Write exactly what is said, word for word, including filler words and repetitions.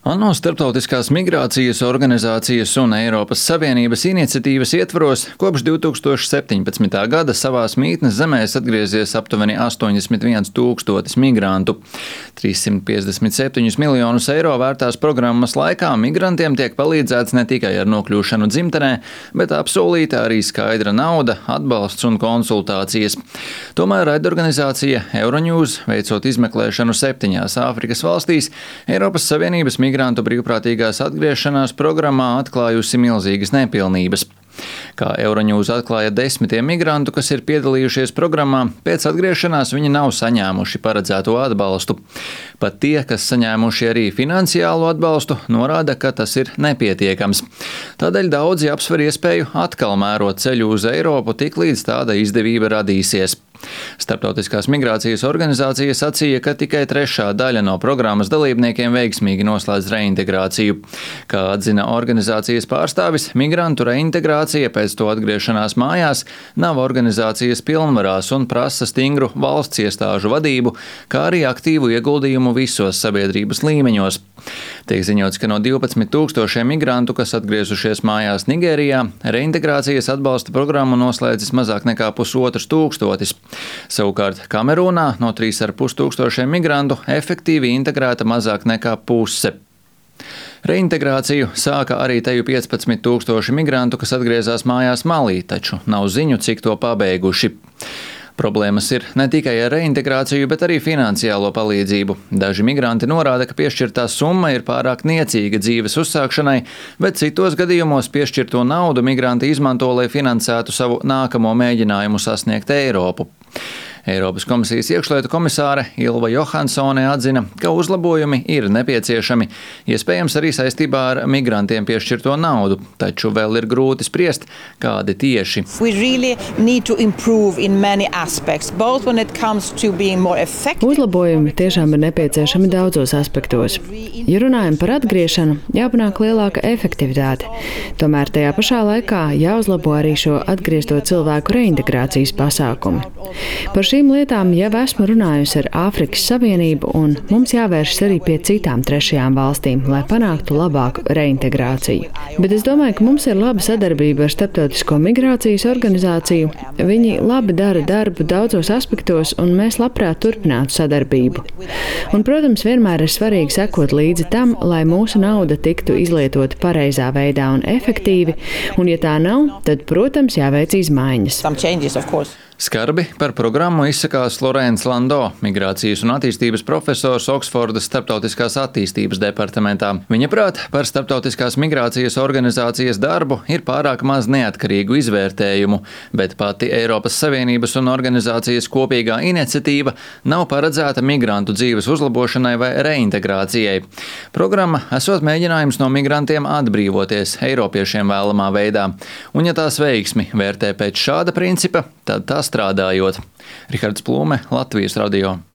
ANO Starptautiskās migrācijas organizācijas un Eiropas Savienības iniciatīvas ietvaros kopš divi tūkstoši septiņpadsmitā gada savās mītnes zemēs atgriezies aptuveni astoņdesmit viens tūkstotis migrantu. trīssimt piecdesmit septiņus miljonus eiro vērtās programmas laikā migrantiem tiek palīdzēts ne tikai ar nokļūšanu dzimtenē, bet apsolīta arī skaidra nauda, atbalsts un konsultācijas. Tomēr raidorganizācija Euronews, veicot izmeklēšanu septiņās Āfrikas valstīs, Eiropas Savienības migrantu brīvprātīgās atgriešanās programmā atklājusi milzīgas nepilnības. Kā Euronews atklāja desmitiem migrantu, kas ir piedalījušies programmā, pēc atgriešanās viņi nav saņēmuši paredzēto atbalstu. Pat tie, kas saņēmuši arī finansiālu atbalstu, norāda, ka tas ir nepietiekams. Tādēļ daudzi apsver iespēju atkal mērot ceļu uz Eiropu, tiklīdz tāda izdevība radīsies. Starptautiskās migrācijas organizācija sacīja, ka tikai trešā daļa no programmas dalībniekiem veiksmīgi noslēdz reintegrāciju. Kā atzina organizācijas pārstāvis, migrantu reintegrācija pēc to atgriešanās mājās nav organizācijas pilnvarās un prasa stingru valsts iestāžu vadību, kā arī aktīvu ieguldījumu visos sabiedrības līmeņos. Tiek ziņots, ka no divpadsmit tūkstošiem migrantu, kas atgriezušies mājās Nigērijā, reintegrācijas atbalsta programmu noslēdzis mazāk nekā pusotrs tūkstotis. Savukārt Kamerūnā no trīs ar pus tūkstošiem migrantu efektīvi integrēta mazāk nekā puse. Reintegrāciju sāka arī teju piecpadsmit tūkstoši migrantu, kas atgriezās mājās Malī, taču nav ziņu, cik to pabeiguši. Problēmas ir ne tikai ar reintegrāciju, bet arī finansiālo palīdzību. Daži migranti norāda, ka piešķirtā summa ir pārāk niecīga dzīves uzsākšanai, bet citos gadījumos piešķirto naudu migranti izmanto, lai finansētu savu nākamo mēģinājumu sasniegt Eiropu. Eiropas komisijas iekšlietu komisāre Ilva Johansone atzina, ka uzlabojumi ir nepieciešami, iespējams arī saistībā ar migrantiem piešķirto naudu, taču vēl ir grūti spriest, kādi tieši. Really aspects, Uzlabojumi tiešām ir nepieciešami daudzos aspektos. Ja runājam par atgriešanu, jāpanāk lielāka efektivitāte. Tomēr tajā pašā laikā jāuzlabo arī šo atgriezto cilvēku reintegrācijas pasākumi. Par šīm lietām jau esmu runājusi ar Āfrikas Savienību, un mums jāvēršas arī pie citām trešajām valstīm, lai panāktu labāku reintegrāciju. Bet es domāju, ka mums ir laba sadarbība ar Starptautisko migrācijas organizāciju. Viņi labi dara darbu daudzos aspektos, un mēs labprāt turpinātu sadarbību. Un, protams, vienmēr ir svarīgi sekot līdzi tam, lai mūsu nauda tiktu izlietota pareizā veidā un efektīvi, un ja tā nav, tad, protams, jāveic izmaiņas. Skarbi par programmu izsakās Lorēns Lando, migrācijas un attīstības profesors Oksfordas Starptautiskās attīstības departamentā. Viņa prāt, par Starptautiskās migrācijas organizācijas darbu ir pārāk maz neatkarīgu izvērtējumu, bet pati Eiropas Savienības un organizācijas kopīgā iniciatīva nav paredzēta migrantu dzīves uzlabošanai vai reintegrācijai. Programma esot mēģinājums no migrantiem atbrīvoties eiropiešiem vēlamā veidā, un ja tās veiksmi vērtē pēc šāda principa, tad tā strādājot. Rihards Plūme, Latvijas radio.